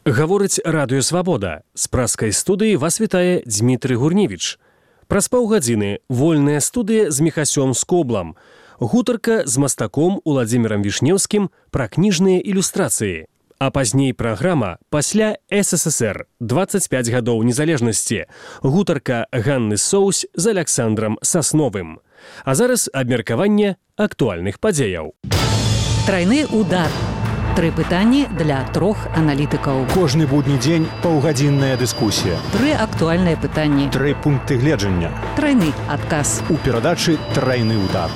Гаворыць Радыё Свабода. З праскай студыі вас вітае Дмітрый Гурневіч. Праз паўгадзіны вольная студыя з Міхасём Скоблам. Гутарка з мастаком Уладзімірам Вішнеўскім пра кніжныя ілюстрацыі. А пазней праграма «Пасля СССР. 25 гадоў незалежнасці». Гутарка Ганны Соусь з Аляксандрам Сасновым. А зараз абмеркаванне актуальных падзеяў. Трайны удар. 3 пытанні для 3 аналітыкаў. Кожны будні дзень паўгадзінная дыскусія. 3 актуальныя пытанні. 3 пункты гледжання. Трайны адказ. У перадачы «Трайны удар».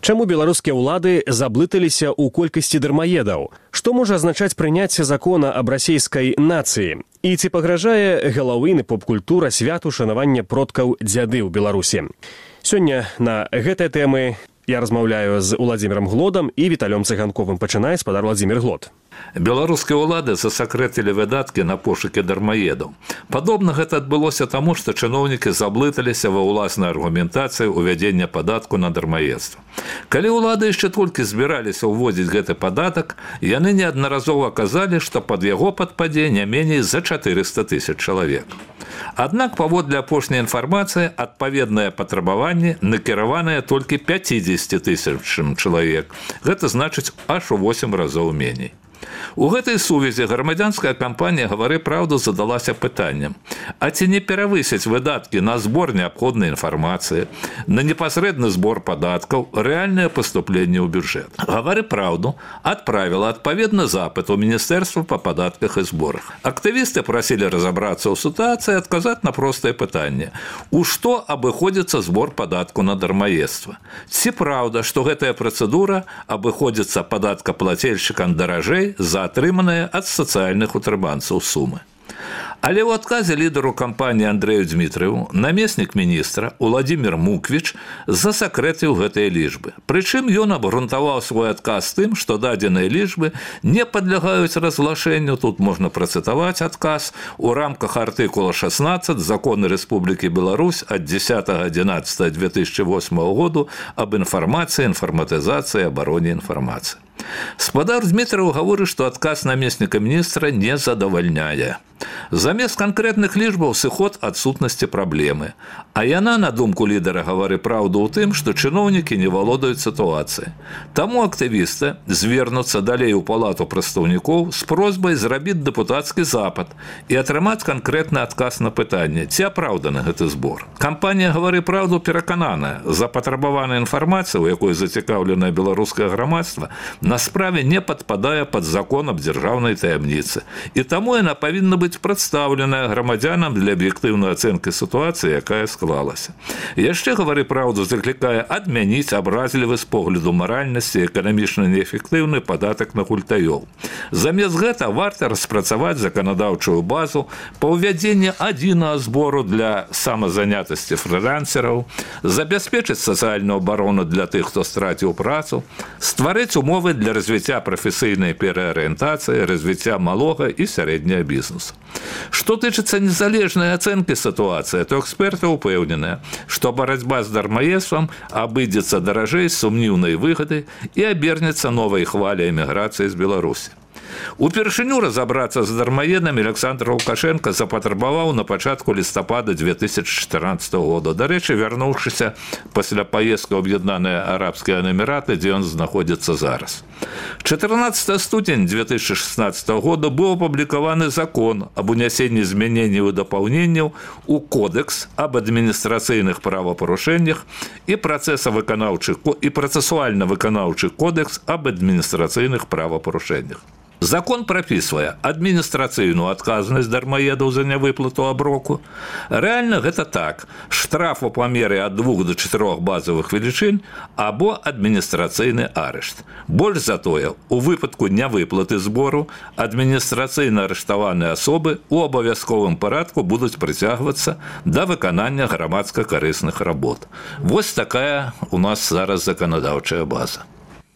Чаму беларускія ўлады заблыталіся ў колькасці дармаедаў? Што можа азначаць прыняцце закона аб расейскай нацыі? І ці пагражае галаўны поп-культура святу шанавання продкаў дзяды ў Беларусі? Сёння на гэтыя тэмы я размаўляю з Уладзімірам Глодам і Віталём Цыганковым. Пачынае спадар Уладзімір Глод. Беларускія ўлады засакрэтылі выдаткі на пошукі дармаедаў. Падобна гэта адбылося таму, што чыноўнікі заблыталіся ва ўласнай аргументацыі ўвядзення падатку на дармаедства. Калі ўлады яшчэ толькі збіраліся ўводзіць гэты падатак, яны неаднаразова казалі, што пад яго падпадзе не меней за 400 000 чалавек. Аднак, паводле апошняй інфармацыі, адпаведныя патрабаванні накіраваныя толькі 50 000 чалавек. Гэта значыць аж у 8 разоў меней. У гэтай сувязі грамадзянская кампанія «Гавары праўду» задалася пытаннем: а ці не перавысяць выдаткі на збор неабходнай інфармацыі, на непасрэдны збор падаткаў, рэальнае паступленне ў бюджэт? «Гавары праўду» адправіла адпаведны запыт у Міністэрства па падатках і зборах. Актывісты прасілі разабрацца ў сітуацыі і адказаць на простае пытанне: у што абыходзіцца збор падатку на дармаедства? Ці праўда, што гэтая працэдура абыходзіцца падаткаплацельшчыкам даражэй за атрыманыя ад сацыяльных утрыманцаў сумы? Але ў адказе лідару кампаніі Андрэю Дзмітрыеву намеснік міністра Уладзімір Муквіч засакрэціў гэтыя лічбы. Прычым ён абгрунтаваў свой адказ тым, што дадзеныя лічбы не падлягаюць разглашэнню. Тут можна працытаваць адказ у рамках артыкула 16 Закону Рэспублікі Беларусь ад 10.11.2008 году аб інфармацыі, інфарматызацыі, абароне інфармацыі. Спадар Дзмітрыеў гаворыць, што адказ намесніка міністра не задавальняе. Замест канкрэтных лічбаў сыход адсутнасці праблемы. А яна, на думку лідара «Гавары праўду», у тым, што чыноўнікі не валодаюць сітуацыяй. Таму актывісты звернуцца далей у палату прадстаўнікоў з просьбай зрабіць дэпутацкі запыт і атрымаць канкрэтны адказ на пытанне, ці апраўданы гэты збор. Кампанія «Гавары праўду» перакананая: запатрабаваная інфармацыя, у якой зацікаўленае беларускае грамадства, на справе не падпадае пад закон аб дзяржаўнай таямніцы. І таму яна павінна быць прадстаўленая грамадзянам для аб'ектыўнай ацэнкі сітуацыі, якая склалася. Яшчэ «Гавары праўду» заклікае адмяніць абразлівы з погляду маральнасці эканамічна неэфектыўны падатак на гультаёў. Замест гэта варта распрацаваць заканадаўчую базу па ўвядзенні адзінага збору для самазанятасці фрылансераў, забяспечыць сацыяльную абарону для тых, хто страціў працу, стварыць умовы для развіцця прафесійнай пераарыентацыі, развіцця малога і сярэдняга бізнесу. Што тычыцца незалежнай ацэнкі сітуацыі, то эксперты упэўненыя, што барацьба з дармаедствам абыдзецца даражэй з сумнеўнай выгодай і абернецца новай хваляй эміграцыі з Беларусі. Упершыню разабрацца з дармаедамі Аляксандр Лукашенко запатрабаваў на пачатку лістапада 2014 года. Дарэчы, вярнуўшыся пасля паездкі ў Аб'яднаныя Арабскія Эміраты, дзе ён знаходзіцца зараз. 14 студзень 2016 года быў апублікаваны закон аб унясенні змяненняў і дапаўненняў у Кодекс аб адміністрацыйных правапарушэннях і працэсуальна-выканаўчы кодекс аб адміністрацыйных правапарушэннях. Закон прапісвае адміністрацыйную адказнасць дармаедаў за нявыплату аброку. Рэальна гэта так: штраф у памеры ад 2 до 4 базавых велічынь або адміністрацыйны арышт. Больш за тое, у выпадку нявыплаты збору адміністрацыйна арыштаваныя асобы ў абавязковым парадку будуць прыцягвацца да выканання грамадска-карысных работ. Вось такая у нас зараз заканадаўчая база.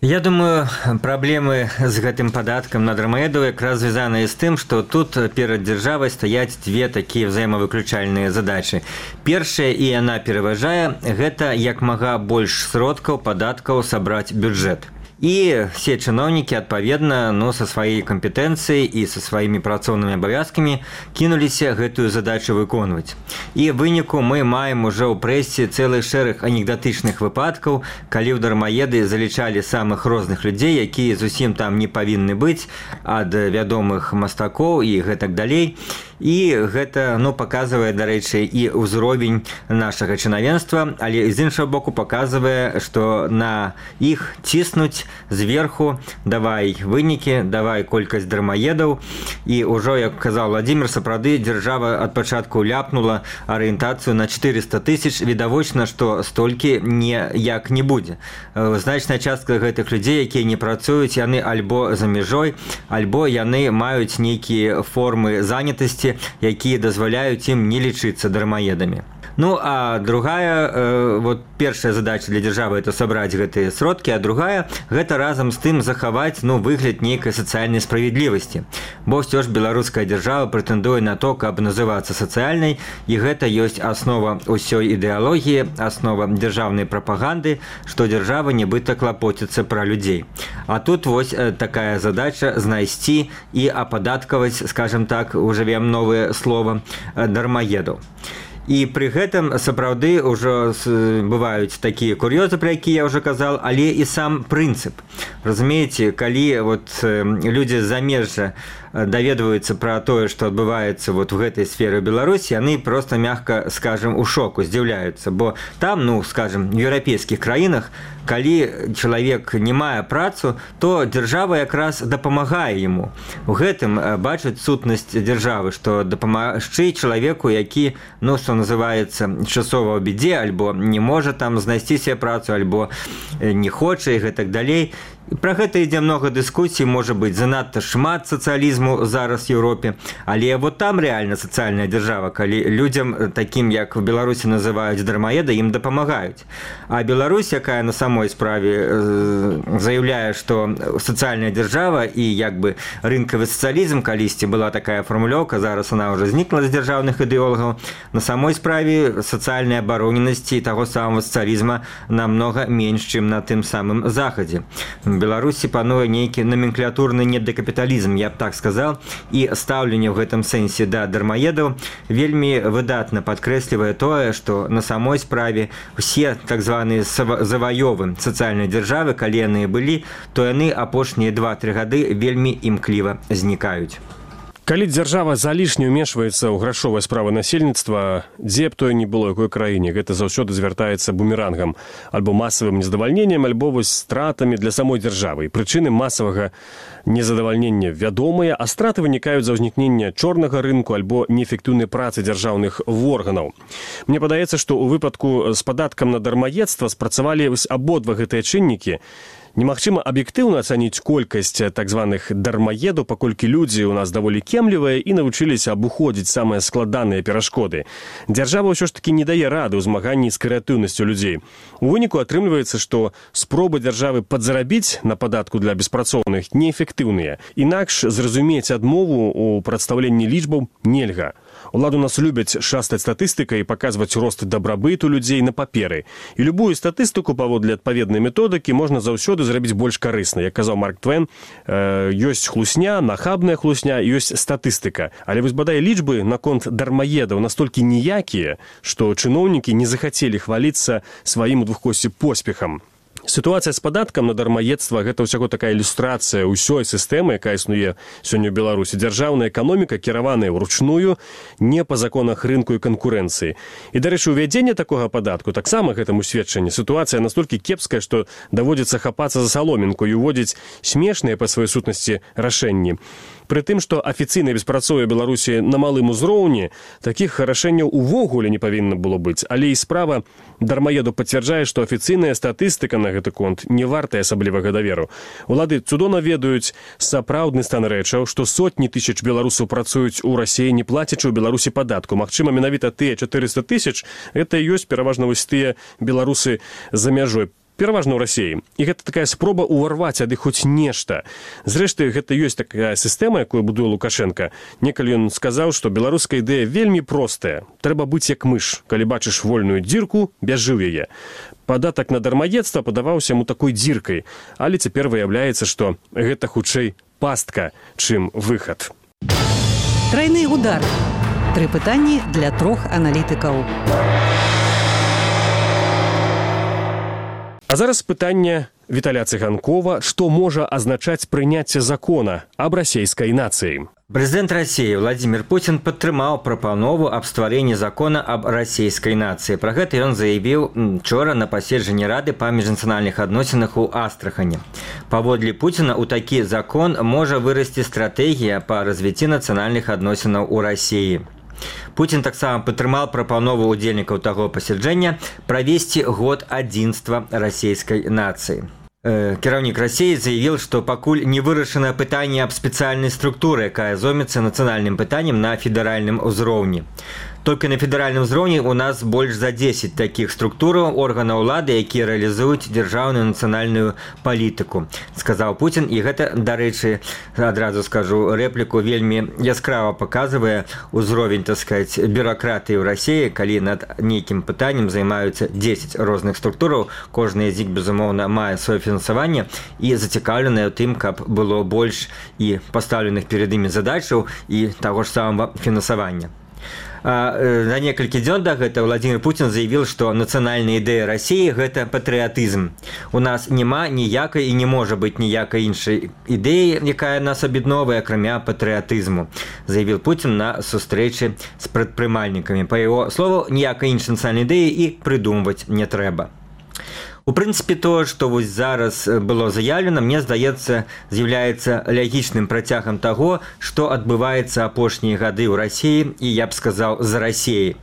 Я думаю, праблемы з гэтым падаткам на дармаедаў якраз звязаныя з тым, што тут перад дзяржавай стаяць дзве такія ўзаемавыключальныя задачы. Першая, і яна пераважае, гэта як мага больш сродкаў падаткаў сабраць бюджэт. И все чиновники, отповедно, со своей компетенцией и со своими працоўнымі абавязкамі кинуліся гэтую задачу выконваць. І в выніку мы маем уже ў прэсе цэлы шэраг анекдатычных выпадкаў, калі ў дармаеды залічалі самых розных людзей, якія зусім там не павінны быць, ад вядомых мастакоў і гэтак далей. І гэта паказвае, дарэчы, і ўзровень нашага чынавенства, але з іншага боку паказвае, што на іх ціснуць зверху, давай вынікі, давай колькасць дармаедаў. І ўжо, як казаў Владимир, сапраўды дзяржава ад пачатку ляпнула арыентацыю на 400 000. Відавочна, што столькі ніяк не будзе. Значная частка гэтых людзей, якія не працуюць, яны альбо за мяжой, альбо яны маюць нейкія формы занятасці, якія дазваляюць ім не лічыцца дармаедамі. А другая, першая задача для дзяржавы – это сабраць гэтыя сродкі, а другая – гэта разам з тым захаваць выгляд нейкай сацыяльнай справядлівасці. Бо ўсё ж беларуская дзяржава прэтэндуе на то, каб называцца сацыяльнай, і гэта ёсць аснова ўсёй ідэалогіі, аснова дзяржаўнай прапаганды, што дзяржава нібыта клапоціцца пра людзей. А тут такая задача знайсці і ападаткаваць, скажем так, ужывем новае слово, дармаедаў. І пры гэтым сапраўды ўжо бываюць такія кур'ёзы, пра якія я ўжо казал, але і сам прынцып. Разумееце, калі людзі з замежжа даведваюцца пра тое, што адбываецца в гэтай сферы Беларусі, яны проста, мягка скажем, у шоку, здзіўляюцца, бо там, скажем, в еўрапейскіх краінах, калі чалавек не мае працу, то дзяржава якраз дапамагае яму. У гэтым бачаць сутнасць дзяржавы, што дапамагчы чалавеку, які, што называецца, часова ў бядзе, альбо не можа там знайсці себе працу, альбо не хоча і гэтак далей. Пра гэта ідзе многа дыскусій, можа быць, занадта шмат сацыялізму зараз в Еўропе, але там рэальна сацыяльная дзяржава, калі людзям, такім як в Беларусі называюць дармаеда, ім дапамагаюць. А Беларусь, якая на самой справе заяўляе, што сацыяльная дзяржава і рынкавы сацыялізм, калісьці была такая фармулёўка, зараз она ўжо знікла з дзяржаўных ідэолагаў, на самой справе сацыяльнай абароненасці таго самого сацыялізма намнога менш, чым на тым самым захадзе. В Беларусі пануе нейкі номенклатурны недакапіталізм, я б так сказал, і стаўленне ў гэтым сэнсе да дармаедаў вельмі выдатна падкрэслівае тое, што на самой справе усе так званыя заваёвы сацыяльнай дзяржавы, калі яны былі, то яны апошнія 2-3 гады вельмі імкліва знікаюць. Калі дзяржава залішне ўмешваецца ў грашовыя справы насельніцтва, дзе б тое не было, якой краіне, гэта заўсёды звяртаецца бумерангам, альбо масавым нездавальненнем, альбо стратамі для самой дзяржавы. Прычыны масавага незадавальнення вядомыя, а страты вынікаюць за ўзнікнення чорнага рынку альбо неэфектыўнай працы дзяржаўных органаў. Мне падаецца, што ў выпадку з падаткам на дармаедства спрацавалі абодва гэтыя чыннікі. Немагчыма аб'ектыўна ацаніць колькасць так званых дармаедаў, паколькі людзі ў нас даволі кемлівыя і навучыліся абыходзіць самыя складаныя перашкоды. Дзяржава ўсё ж такі не дае рады ў змаганні з крэатыўнасцю людзей. У выніку атрымліваецца, што спробы дзяржавы падзарабіць на падатку для беспрацоўных неэфектыўныя. Інакш зразумець адмову ў прадстаўленні лічбаў нельга. Уладу нас любяць шастаць статыстыкай і паказваць рост дабрабыту людзей на паперы. І любую статыстыку паводле адпаведнай методыкі можна заўсёды зрабіць больш карысна. Як казаў Марк Твен, ёсць хлусня, нахабная хлусня, ёсць статыстыка. Але бадай лічбы наконт дармаедаў настолькі ніякія, што чыноўнікі не захацелі хваліцца сваім у двухкосці поспехам. Сітуацыя з падаткам на дармаедства – гэта ўсяго такая ілюстрацыя ўсёй сістэмы, якая існуе сёння ў Беларусі. Дзяржаўная эканоміка кіраваная ўручную, не па законах рынку і канкурэнцыі. І, дарэчы, увядзенне такога падатку таксама гэтаму сведчанне. Сітуацыя настолькі кепская, што даводзіцца хапацца за саломінку і уводзіць смешныя па сваёй сутнасці рашэнні. Пры тым, што афіцыйнае беспрацоўе Беларусі на малым узроўні, такіх рашэнняў увогуле не павінна было быць. Але і справа дармаеду пацвярджае, што афіцыйная статыстыка на гэты конт не вартая асаблівага даверу. Улады цудоўна ведаюць сапраўдны стан рэчаў, што сотні тысяч беларусаў працуюць у Расіі, не плацячы ў Беларусі падатку. Магчыма, менавіта тыя 400 000 – гэта і ёсць пераважна вось тыя беларусы за мяжой. пераважна ў рассіі, і гэта такая спроба ўварваць ад іх хоць нешта. Зрэшты, гэта ёсць такая сістэма, якую будуе Лукашенко. Некалі ён сказаў, што беларуская ідэя вельмі простая. Трэба быць як мыш. Калі бачыш вольную дзірку, бяжы ў яе. Падатак на дармаедства падаваўся яму такой дзіркай, але цяпер выяўляецца, што гэта хутчэй пастка, чым выхад. Трайны удар. 3 пытанні для 3 аналітыкаў. А зараз пытанне Віталя Цыганкова, што можа азначаць прыняцце закона аб расейскай нацыі. Прэзідэнт Расіі Владзімір Пуцін падтрымаў прапанову аб стварэнні закона аб расійскай нацыі. Пра гэта ён заявіў учора на паседжанні Рады па міжнацыянальных адносінах у Астрахані. Паводле Пуціна ў такі закон можа вырасці стратэгія па развіцці нацыянальных адносінаў у Расіі. Пуцін таксама падтрымаў прапанову ўдзельнікаў таго паседжання правесці год адзінства расійскай нацыі. Кіраўнік Расіі заявіў, што пакуль не вырашана пытанне аб спецыяльнай структуры, якая зоймецца нацыянальным пытаннем на федэральным узроўні. Толькі на федэральным узроўні у нас больш за 10 такіх структураў органаў улады, якія рэалізуюць дзяржаўную нацыянальную палітыку, сказаў Пуцін. І гэта, дарэчы, адразу скажу рэпліку, вельмі яскрава паказвае ўзровень, так сказаць, бюракратыі ў Расіі, калі над нейкім пытаннем займаюцца 10 розных структураў, кожная з іх, безумоўна, мае сваё фінансаванне і зацікаўленая ў тым, каб было больш і пастаўленых перад імі задачаў і таго ж самага фінансавання. За некалькі дзён да гэта Владзімір Пуцін заявіў, што нацыянальная ідэя Расіі – гэта патрыятызм. У нас няма ніякай і не можа быць ніякай іншай ідэі, якая нас аб'ядноўвае, акрамя патрыятызму, заявіў Пуцін на сустрэчы з прадпрымальнікамі. Па яго слову, ніякай іншай нацыянальнай ідэі і прыдумваць не трэба. У прынцыпе, тое, што вось зараз было заявлена, мне здаецца, з'яўляецца лягічным працягам таго, што адбываецца апошнія гады ў Расіі і, я б сказаў, за Расіяй.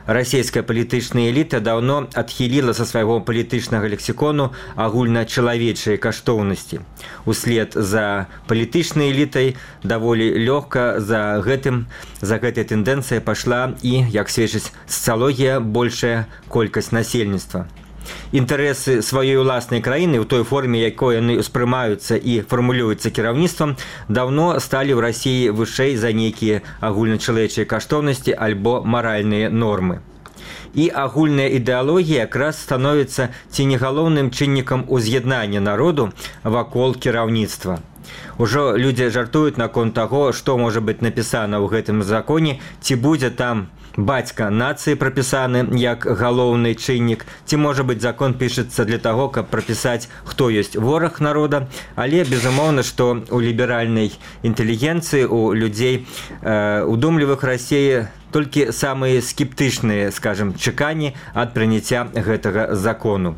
Расійская палітычная эліта даўно адхіліла са свайго палітычнага лексікону агульначалавечыя каштоўнасці. Услед за палітычнай элітай даволі лёгка за гэтай тэндэнцыяй пайшла і, як сведчыць сацыялогія, большая колькасць насельніцтва. Інтарэсы сваёй уласнай краіны ў той форме, якой яны ўспрымаюцца і фармулююцца кіраўніцтвам, даўно сталі ў Расіі вышэй за нейкія агульначалавечыя каштоўнасці альбо маральныя нормы. І агульная ідэалогія якраз становіцца ці не галоўным чыннікам уз'яднання народу вакол кіраўніцтва. Ужо людзі жартуюць наконт таго, што можа быць напісана ў гэтым законе, ці будзе там бацька нацыі прапісаны як галоўны чыннік, ці, можа быць, закон пішацца для таго, каб прапісаць, хто ёсць вораг народа, але, безумоўна, што ў ліберальнай інтэлігенцыі, у людзей удумлівых Расіі толькі самыя скептычныя, скажам, чаканні ад прыняцця гэтага закону.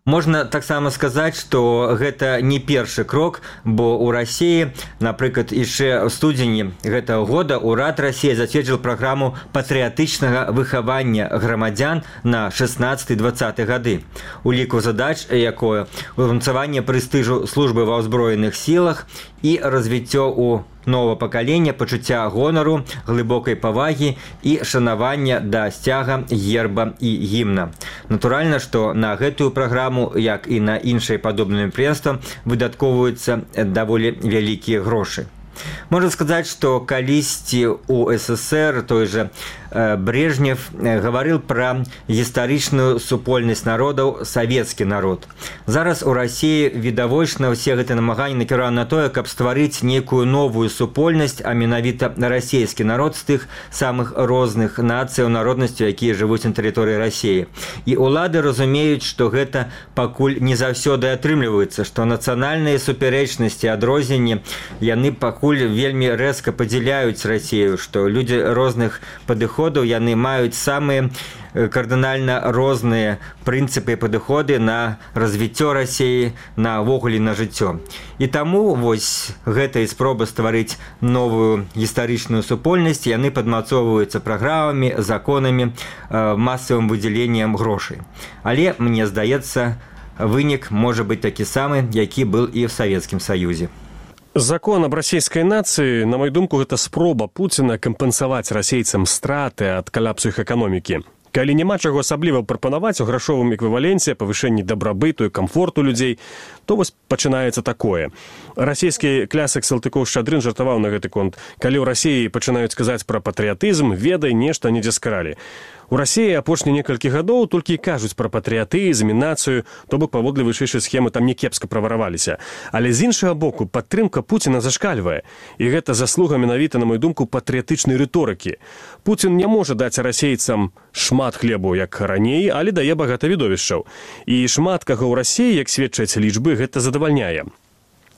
Можна таксама сказаць, што гэта не першы крок, бо ў Расіі, напрыклад, яшчэ ў студзені гэтага года ўрад Расіі зацвердзіў праграму патрыятычнага выхавання грамадзян на 16-20 гады. У ліку задач, якое ўмацаванне прэстыжу службы ва ўзброеных сілах і развіццё ў нового пакалення, пачуцця гонару, глыбокай павагі і шанавання да сцяга, герба і гімна. Натуральна, што на гэтую праграму, як і на іншыя падобныя мерапрыемствы, выдаткоўваюцца даволі вялікія грошы. Можна сказаць, што калісьці ў СССР той жа Брежнев гаварыў пра гістарычную супольнасць народаў савецкі народ. Зараз у Расіі відавочна ўсе гэтыя намаганні накіраваны на тое, каб стварыць нейкую новую супольнасць, а менавіта расійскі народ з тых самых розных нацыяў, народнасцяў, якія жывуць на тэрыторыі Расіі. І ўлады разумеюць, што гэта пакуль не заўсёды атрымліваецца, што нацыянальныя супярэчнасці, адрозненні, яны пакуль вельмі рэзка падзяляюць Расію, што людзі розных падыходаў, яны маюць самыя кардынальна розныя прынцыпы і падыходы на развіццё Расіі, навогуле на жыццё. І таму вось гэтая спроба стварыць новую гістарычную супольнасць, яны падмацоўваюцца праграмамі, законамі, масавым выдзяленнем грошай. Але, мне здаецца, вынік можа быць такі самы, які был і ў Савецкім Саюзе. Закон аб расійскай нацыі, на маю думку, гэта спроба Пуціна кампенсаваць расейцам страты ад калапсу іх эканомікі. Калі няма чаго асабліва прапанаваць у грашовым эквіваленце, павышэнні дабрабыту і камфорту людзей, то вось пачынаецца такое. Расійскі клясык Салтыкоў-Шчадрын жартаваў на гэты конт. Калі ў Расіі пачынаюць казаць пра патрыятызм, ведай, нешта недзе скралі. У Расіі апошнія некалькі гадоў толькі і кажуць пра патрыятызм і нацыю, то бок паводле вышэйшай схемы там не кепска правараваліся. Але з іншага боку, падтрымка Пуціна зашкальвае. І гэта заслуга менавіта, на мою думку, патрыятычнай рыторыкі. Пуцін не можа даць расейцам шмат хлебу, як раней, але дае багата відовішчаў. І шмат каго ў Расіі, як сведчаць лічбы, гэта задавальняе.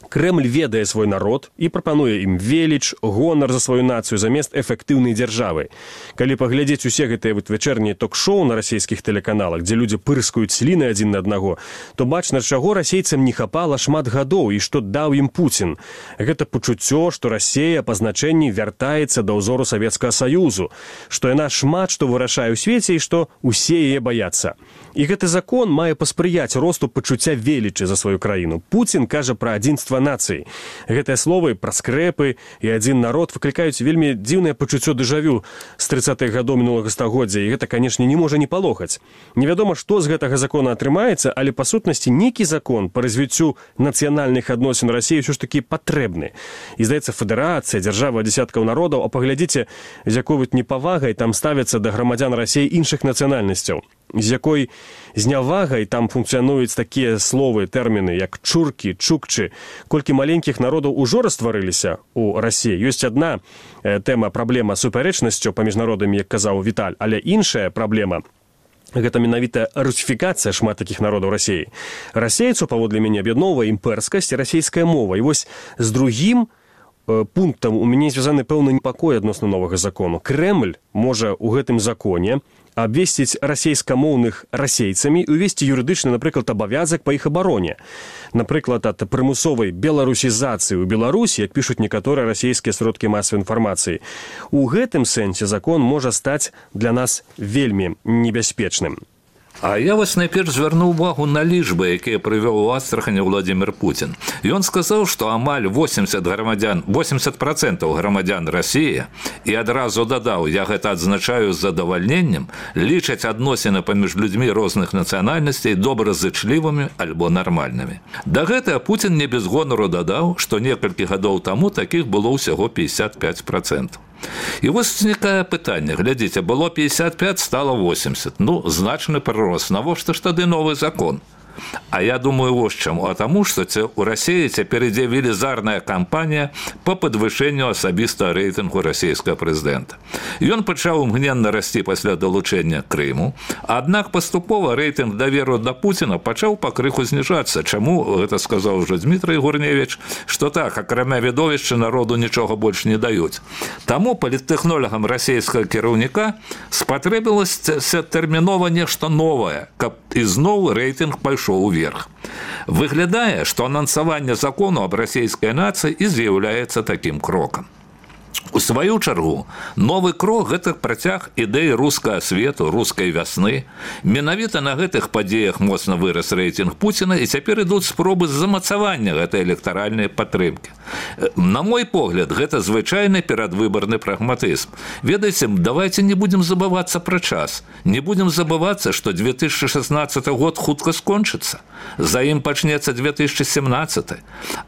Крэмль ведае свой народ і прапануе ім веліч, гонар за сваю нацыю замест эфектыўнай дзяржавы. Калі паглядзець усе гэтыя вечарнія ток-шоу на расійскіх тэлеканалах, дзе людзі пырскаюць сліны адзін на аднаго, то бачна, чаго расейцам не хапала шмат гадоў і што даў ім Пуцін. Гэта пачуццё, што Расія па значэнні вяртаецца да ўзору Савецкага Саюзу, што яна шмат што вырашае ў свеце і што ўсе яе баяцца. І гэты закон мае паспрыяць росту пачуцця велічы за сваю краіну. Пуцін кажа пра адзінства нацыі. Гэтыя словы пра скрэпы і адзін народ выклікаюць вельмі дзіўнае пачуццё дэжавю з 30-х гадоў мінулага стагоддзя, і гэта, канешне, не можа не палохаць. Невядома, што з гэтага закона атрымаецца, але па сутнасці нейкі закон па развіццю нацыянальных адносін Расіі ўсё ж такі патрэбны. І, здаецца, федэрацыя, дзяржава дзясяткаў народаў, а паглядзіце, з якой непавагай там ставяцца да грамадзян Расіі іншых нацыянальнасцяў, з якой знявагай там функцыянуюць такія словы, тэрміны, як чуркі, чукчы. Колькі маленькіх народаў ужо растварыліся ў Расіі. Ёсць адна тэма, праблема супярэчнасцю паміж народамі, як казаў Віталь, але іншая праблема – гэта менавіта русіфікацыя шмат такіх народаў Расіі. Расейцу, паводле мяне, аб'ядноўвае імпэрскасць і расійская мова. І вось з другім пунктам у мяне звязаны пэўны непакой адносна новага закону. Крэмль можа ў гэтым законе абвесціць расейскамоўных расейцамі і увесці юрыдычны, напрыклад, абавязак па іх абароне. Напрыклад, ад прымусовай беларусізацыі ў Беларусі, як пішуць некаторыя расійскія сродкі масавай інфармацыі. У гэтым сэнсе закон можа стаць для нас вельмі небяспечным. А я вас найперш звярну ўвагу на лічбы, якія прывёў у Астрахані Владзімір Пуцін. Ён сказаў, што амаль 80% грамадзян Расіі, і адразу дадаў, я гэта адзначаю з задавальненнем, лічаць адносіны паміж людзьмі розных нацыянальнасцей добразычлівымі альбо нармальнымі. Да гэтага Пуцін не без гонару дадаў, што некалькі гадоў таму такіх было ўсяго 55%. І вось узнікае пытанне, глядзіце, было 55, стало 80. Ну, значны прырост. Навошта ж тады новы закон? А я думаю, вот чаму. А таму, што у Расіі цяпер ідзе велізарная кампанія па падвышэнню асабістага рэйтынгу расійскага прэзідэнта. Ён пачаў імгненна расці пасля далучэння Крыму, аднак паступова рэйтынг даверу да Пуціна пачаў пакрыху зніжацца. Чаму? Гэта сказаў ужо Дмітрый Гурневіч, што так, акрамя відовішча народу нічога больш не даюць. Таму паліттэхнолагам расійскага кіраўніка спатрэбілася тэрмінова нешта новае, каб ізноў рэйтынг пайшоў уверх. Выглядае, што анансаванне закону аб расійскай нацыі і з'яўляецца такім крокам. У сваю чаргу, новы крок – гэта працяг ідэі рускага свету, рускай вясны. Менавіта на гэтых падзеях моцна вырас рэйтынг Пуціна, і цяпер ідуць спробы замацавання гэтай электаральнай падтрымкі. На мой погляд, гэта звычайны перадвыбарны прагматызм. Ведаеце, давайте не будем забывацца пра час. Не будем забывацца, што 2016 год хутка скончыцца. За ім пачнецца 2017.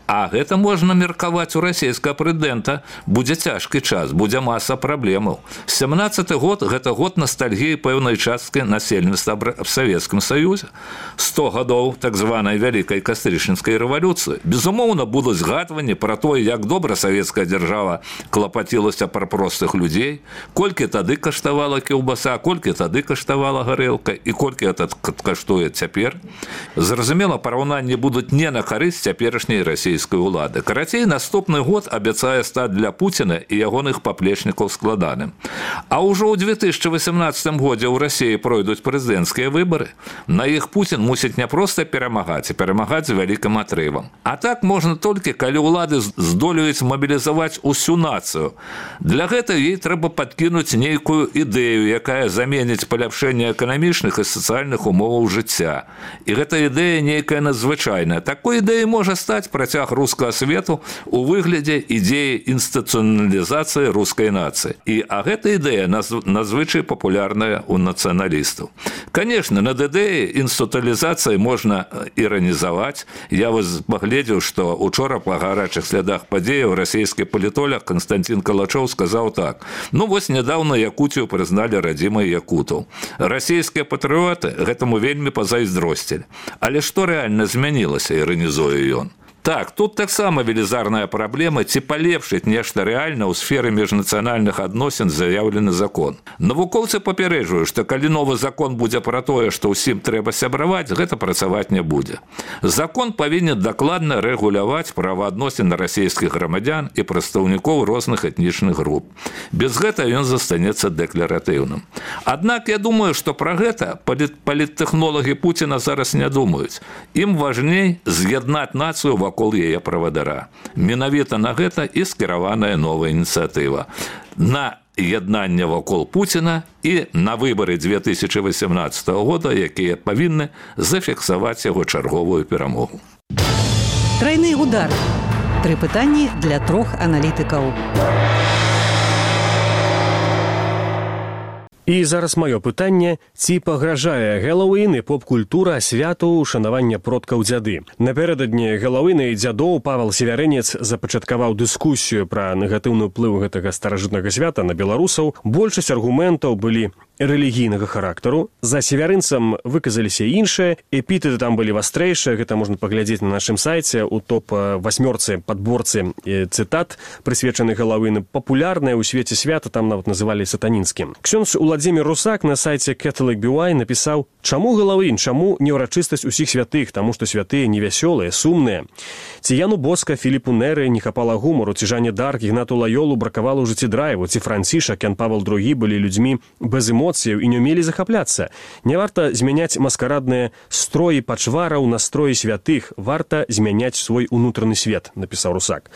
А гэта можна меркаваць у расійскага прэзідэнта. Будзе цяжкі час, будзе маса праблемаў. 17 год – гэта год ностальгіі пэўнай часткі насельніцтва в Савецкім Саюзе. 100 гадоў так званай вялікай кастрычніцкай рэвалюцыі. Безумоўна, будуць згадванні пра тое, як добра савецкая дзяржава клапацілася пра простых людзей, колькі тады каштавала кілбаса, колькі тады каштавала гарэлка і колькі гэта каштуе цяпер. Зразумела, параўнанні будуць не на карысць цяперашняй расійскай улады. Карацей, наступны год абяцае стаць для Пуціна і ягоных паплечнікаў складаным. А ўжо ў 2018 годзе ў Расіі пройдуць прэзідэнцкія выбары. На іх Пуцін мусіць не проста перамагаць, а перамагаць з вялікім атрывам. А так можна толькі, калі ўлады здолеюць мабілізаваць усю нацыю. Для гэтага ей трэба падкінуць нейкую ідэю, якая заменіць паляпшэнне эканамічных і сацыяльных умоваў жыцця. І гэта ідэя нейкая надзвычайная. Такой ідэяй можа стаць працяг рускага свету у выглядзе ідзеі інстытуцыяналізацыі інстытуалізацыі рускай нацыі. А гэта ідэя надзвычай папулярная ў нацыяналістаў. Конечно, над ідэяй інстытуалізацыі можна іранізаваць. Я вось паглядзеў, што учора па гарачых слядах падзеяў расійскі палітолог Константин Калачоў сказаў так: ну вось нядаўна Якутію прызналі радзімай якутаў. Расійскія патрыоты гэтаму вельмі пазайздросцілі. Але што рэальна змянілася, іранізуе ён? Так, тут таксама велізарная праблема, ці палепшыць нешта рэальна ў сферы міжнацыянальных адносін заяўлены закон. Навукоўцы папярэджваюць, што калі новы закон будзе пра тое, што ўсім трэба сябраваць, гэта працаваць не будзе. Закон павінен дакладна рэгуляваць праваадносіны расійскіх грамадзян і прадстаўнікоў розных этнічных груп. Без гэта ён застанецца дэкларатыўным. Аднак я думаю, што пра гэта паліттэхнолагі Пуціна зараз не думаюць. Ім важней з'яднаць нацыю вакол яе правадара. Менавіта на гэта і скіраваная новая ініцыятыва. На яднанне вакол Пуціна і на выбары 2018 года, якія павінны зафіксаваць яго чарговую перамогу. Трайны удар. 3 пытанні для 3 аналітыкаў. І зараз маё пытанне, ці пагражае Гэллоуін і поп-культура святу ушанавання продкаў дзяды. Напярэдадні Гэллоуіна і дзядоў Павел Севярынец запачаткаваў дыскусію пра негатыўны ўплыў гэтага старажытнага свята на беларусаў. Большасць аргументаў былі рэлігійнага характару. За севярынцам выказаліся іншыя, эпітэты там былі вастрэйшыя, гэта можна паглядзець на нашым сайце у топ-8 падборцы цытат, прысвечаных Гэллоуіну. Папулярныя ў свеце свята там нават называлі сатанінскім. Ксёндз Уладзімір Русак на сайце Catholic BY напісаў: чаму Гэллоуін, чаму не ўрачыстасць усіх святых, таму што святыя невясёлыя, сумныя. Ці Яну Боска, Філіпу Неры не хапала гумару, ці Жанне Дарк, Ігнату Лайолу бракавала ў жыцці драйву, ці Францішак, Ян Павел II былі людзьмі без эмоцыяў і не ўмелі захапляцца. Не варта змяняць маскарадныя строі пачвараў на строі святых, варта змяняць свой унутраны свет, напісаў Русак.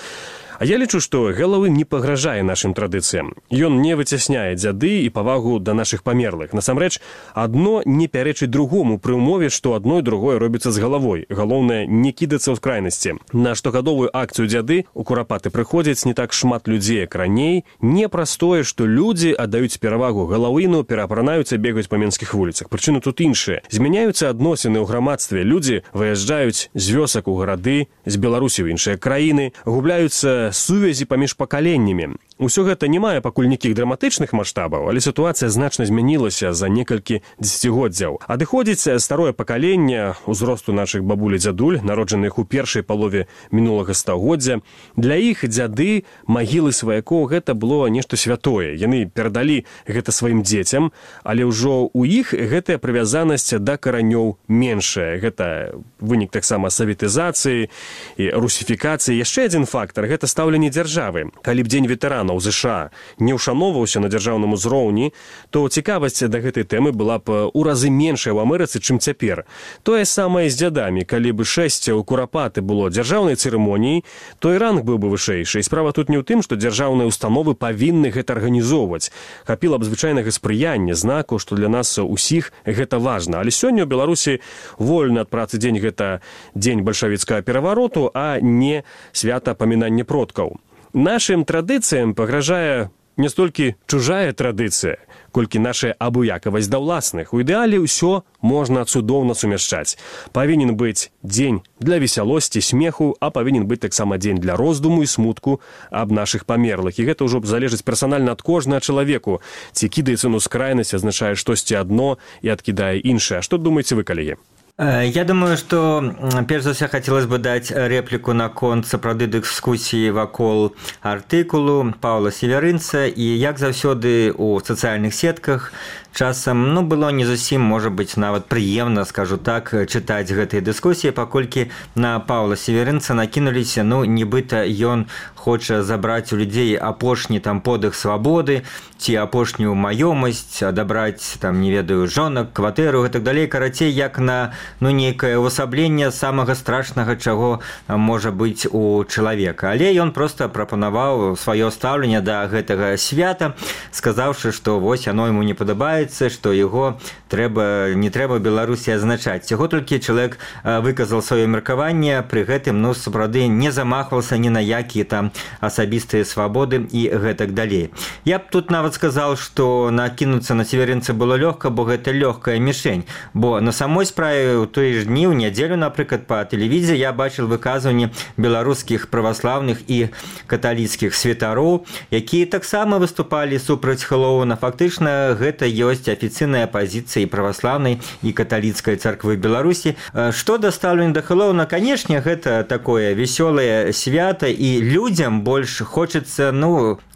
А я лічу, што Гэллоуін не пагражае нашым традыцыям. Ён не выцясняе дзяды і павагу да нашых памерлых. Насамрэч, адно не пярэчыць другому пры ўмове, што адно і другое робіцца з галавой. Галоўнае, не кідацца ў крайнасці. На штогадовую акцыю дзяды у Курапаты прыходзяць не так шмат людзей, як раней. Не праз тое, што людзі аддаюць перавагу Гэллоуіну, пераапранаюцца бегаць па менскіх вуліцах. Прычыны тут іншыя. Змяняюцца адносіны ў грамадстве. Людзі выязджаюць з вёсак у гарады, з Беларусі ў іншыя краіны, губляюцца сувязі паміж пакаленнямі. Усё гэта не мае пакуль нейкіх драматычных маштабаў, але сітуацыя значна змянілася за некалькі дзесяцігоддзяў. Адыходзіць старое пакаленне узросту нашых бабуль і дзядуль, народжаных у першай палове мінулага стагоддзя. Для іх дзяды, магілы сваякоў гэта было нешта святое. Яны перадалі гэта сваім дзецям, але ўжо ў іх гэтая прывязанасць да каранёў меншая. Гэта вынік таксама саветызацыі і русіфікацыі. Яшчэ адзін фактар гэта стаўленне дзяржавы. Калі б дзень ветэранаў ЗША не ўшаноўваўся на дзяржаўным узроўні, то цікавасць да гэтай тэмы была б у разы меншая ў Амерыцы, чым цяпер. Тое самае з дзядамі. Калі б шэсце ў Курапаты было дзяржаўнай цырымоніяй, то і ранг быў бы вышэйшы. І справа тут не ў тым, што дзяржаўныя установы павінны гэта арганізоўваць. Хапіла б звычайнага спрыяння, знаку, што для нас усіх гэта важна. Але сёння ў Беларусі вольны ад працы дзень гэта дзень бальшавіцкага перавароту, а не свята памінання продкаў. Нашым традыцыям пагражае не столькі чужая традыцыя, колькі наша абыякавасць да ўласных. У ідэале ўсё можна цудоўна сумяшчаць. Павінен быць дзень для весялосці, смеху, а павінен быць таксама дзень для роздуму і смутку аб нашых памерлых. І гэта ўжо залежыць персанальна ад кожнага чалавеку. Ці кідаецца ў скрайнасць, азначае штосьці адно і адкідае іншае. Што думаеце вы, калегі? Я думаю, што перш за ўсё хацелось бы даць рэпліку наконт сапраўды дыскусіі вакол артыкулу Паўла Севярынца, і як заўсёды ў сацыяльных сетках часам было не зусім, можа быць, нават прыемна, скажу так, чытаць гэтыя дыскусіі, паколькі на Паўла Севярынца накінуліся, нібыта ён хоча забраць у людзей апошні подых свабоды ці апошнюю маёмасць, адабраць не ведаю жонак, кватэру і так далей, карацей, як на нейкае ўвасабленне самага страшнага, чаго можа быць у чалавека. Але ён проста прапанаваў сваё стаўленне да гэтага свята, сказаўшы, што вось яно яму не падабаецца, адбываецца, што яго не трэба Беларусі азначаць. Яго толькі чалавек выказал сваё меркаванне, пры гэтым сапраўды не замахвался ні на якія там асабістыя свабоды і гэтак далей. Я б тут нават сказал, што накінуцца на северинца было лёгка, бо гэта лёгкая мішень. Бо на самой справе у той ж дні, у нядзелю, напрыклад, па тэлевізіі я бачыў выказванні беларускіх праваслаўных і каталіцкіх святароў, якія таксама выступалі супраць Хэллоуіна. Фактычна гэта ёсць афіцыйная пазіцыя і праваслаўнай і каталіцкай царквы Беларусі. Што да стаўлення да Хэллоуіна, канешне, гэта такое весёлае свята, і людзям больш хочацца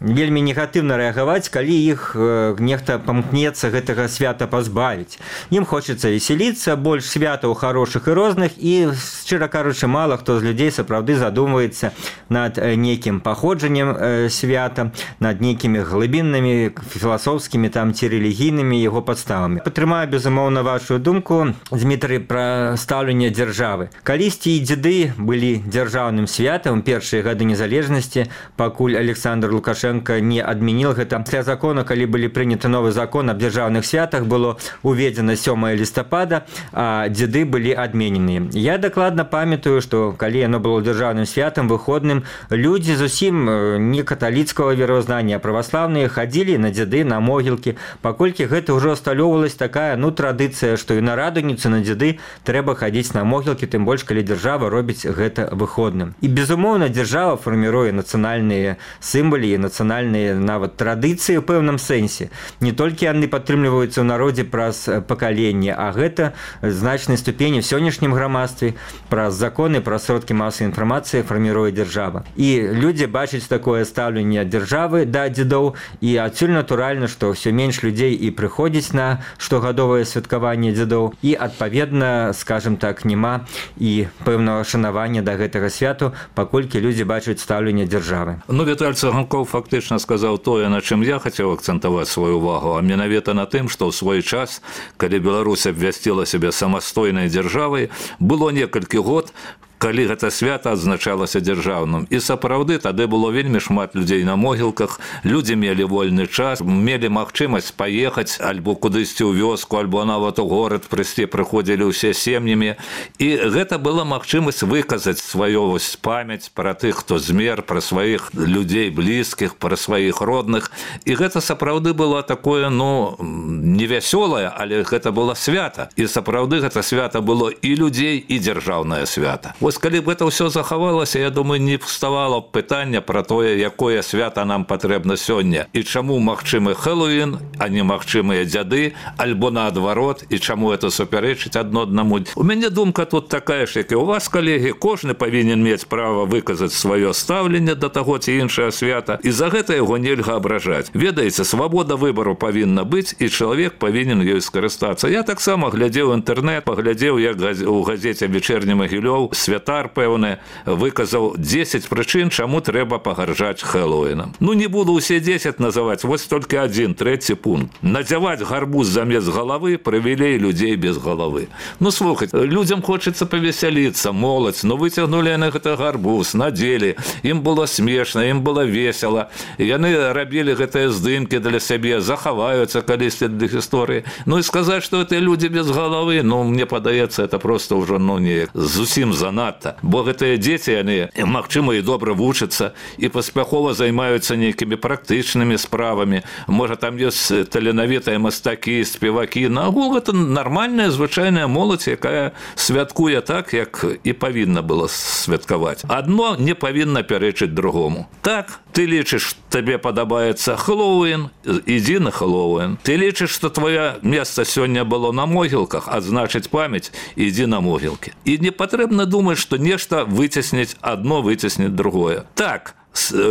вельмі негатыўна рэагаваць, калі іх нехта памкнецца гэтага свята пазбавіць. Ім хочацца весяліцца, больш святаў хорошых і розных, і, шчыра кажучы, мала хто з людзей сапраўды задумваецца над нейкім паходжаннем свята, над нейкімі глыбіннымі філасофскімі ці рэлігійнымі яго падставамі. Падтрымаю, безумоўна, вашу думку, Дмітрый, пра стаўленне дзяржавы. Калісьці і дзеды былі дзяржаўным святам першыя гады незалежнасці, пакуль Александр Лукашенко не адмяніл гэта. Пасля закона, калі былі прыняты новы закон аб дзяржаўных святах, было уведзена 7 лістапада, а дзеды былі адмененыя. Я дакладна памятаю, што калі яно было дзяржаўным святам выходным, людзі зусім не каталіцкага веравызнання, а праваслаўныя хадзілі на дзеды, на могілкі, паколькі гэта ўжо асталёўвалась такая традыцыя, што і на радуніцу, на дзеды трэба хадзіць на могілкі, тым больш, калі дзяржава робіць гэта выходным. І, безумоўна, дзяржава фарміруе нацыянальныя сімвалы і нацыянальныя нават традыцыі ў пэўным сэнсе. Не толькі яны падтрымліваюцца ў народзе праз пакаленне, а гэта значнай ступені в сённяшнім грамадстве праз законы, праз сродкі масавай інфармацыі фарміруе дзяржава. І людзі бачаць такое стаўленне дзяржавы да дзедоў, і адсюль натуральна, што ўсё менш людзей і прыходзіць на штогадовае святкаванне дзедоў, і, адпаведна, скажем так, няма і пэўнага шанавання да гэтага святу, паколькі людзі бачаць стаўленне дзяржавы. Віталь Цыганкоў фактычна сказаў тое, на чым я хацеў акцэнтаваць сваю ўвагу, а менавіта на тым, што ў свой час, калі Беларусь абвясціла сябе самастойнай дзяржавай, было некалькі год, калі гэта свята адзначалася дзяржаўным. І сапраўды тады было вельмі шмат людзей на могілках, людзі мелі вольны час, мелі магчымасць паехаць альбо кудысьці ў вёску, альбо нават у горад прыйсці, прыходзілі ўсе сем'ямі. І гэта была магчымасць выказаць сваю памяць пра тых, хто змер, пра сваіх людзей блізкіх, пра сваіх родных. І гэта сапраўды было такое, невясёлае, але гэта было свята. І сапраўды гэта свята было і людзей, і дзяржаўнае свята. Вось калі б гэта ўсё захавалася, я думаю, не вставала б пытання пра тое, якое свята нам патрэбна сёння, і чаму магчымы Хэллоуін, а не магчымыя дзяды, альбо наадварот, і чаму это супярэчыць адно аднаму. У мяне думка тут такая ж, як і у вас, калегі, кожны павінен мець права выказаць сваё стаўленне да таго ці іншае свята, і за гэта яго нельга абражаць. Ведаеце, свабода выбару павінна быць, і чалавек павінен ёй скарыстацца. Я таксама глядзеў інтэрнэт, паглядзеў, як у газеце «Вечерні Магілёў» святар, пэўны, выказаў 10 прычын, чаму трэба пагарджаць Хэллоуінам. Не буду ўсе 10 называць, вось толькі адзін, трэці пункт. Надзяваць гарбуз замест галавы прывілей людзей без галавы. Слухаць, людзям хочацца павесяліцца, моладзь, выцягнулі яны гэта гарбуз, надзелі, ім было смешна, ім было весела, яны рабілі гэтыя здымкі для сябе, захаваюцца калісьці для гісторыі. І сказаць, што гэта людзі без галавы, мне падаецца, это проста ўжо, неяк зусім занадта. Бо гэтыя дзеці, яны, магчыма, і добра вучацца, і паспяхова займаюцца нейкімі практычнымі справамі. Можа, там ёсць таленавітыя мастакі, спевакі. Нагул гэта нармальная, звычайная моладзь, якая святкуе так, як і павінна было святкаваць. Адно не павінна пярэчыць другому. Так, ты лічыш, табе падабаецца Хэллоуін, ідзі на Хэллоуін. Ты лічыш, што твоё месца сёння было на могілках, адзначыць памяць, ідзі на могілкі. І не патрэбна думаць, што нешта выцесніць адно, выцесніць другое. Так,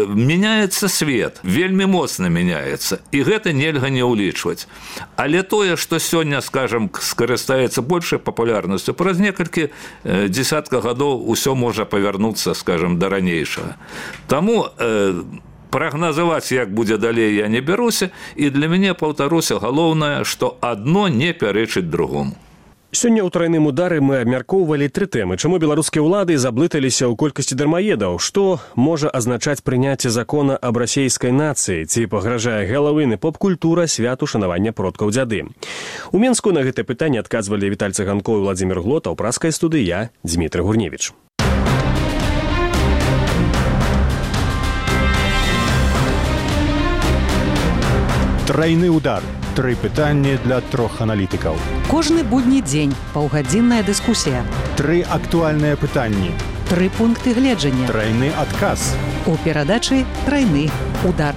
меняецца свет, вельмі моцна меняецца, і гэта нельга не ўлічваць. Але тое, што сёння, скажам, скарыстаецца большай папулярнасцю, праз некалькі дзесятка гадоў усё можа павярнуцца, скажам, да ранейшага. Таму прагназаваць, як будзе далей, я не бяруся, і для мяне, паўтаруся, галоўнае, што адно не пярэчыць другому. Сёння ў трайным удары мы абмяркоўвалі 3 тэмы. Чаму беларускія ўлады заблыталіся ў колькасці дармаедаў? Што можа азначаць прыняцце закона аб расейскай нацыі? Ці пагражае Хэллоуін і поп-культура святу шанавання продкаў дзяды? У Менску на гэтае пытанне адказвалі Віталь Цыганкоў і Владзімір Глота. У праскай студыі я, Дзмітрый Гурневіч. Трайны удар. 3 пытанні для 3 аналітыкаў. Кожны будні дзень паўгадзінная дыскусія. 3 актуальныя пытанні. 3 пункты гледжання. Трайны адказ. У перадачы «Трайны удар».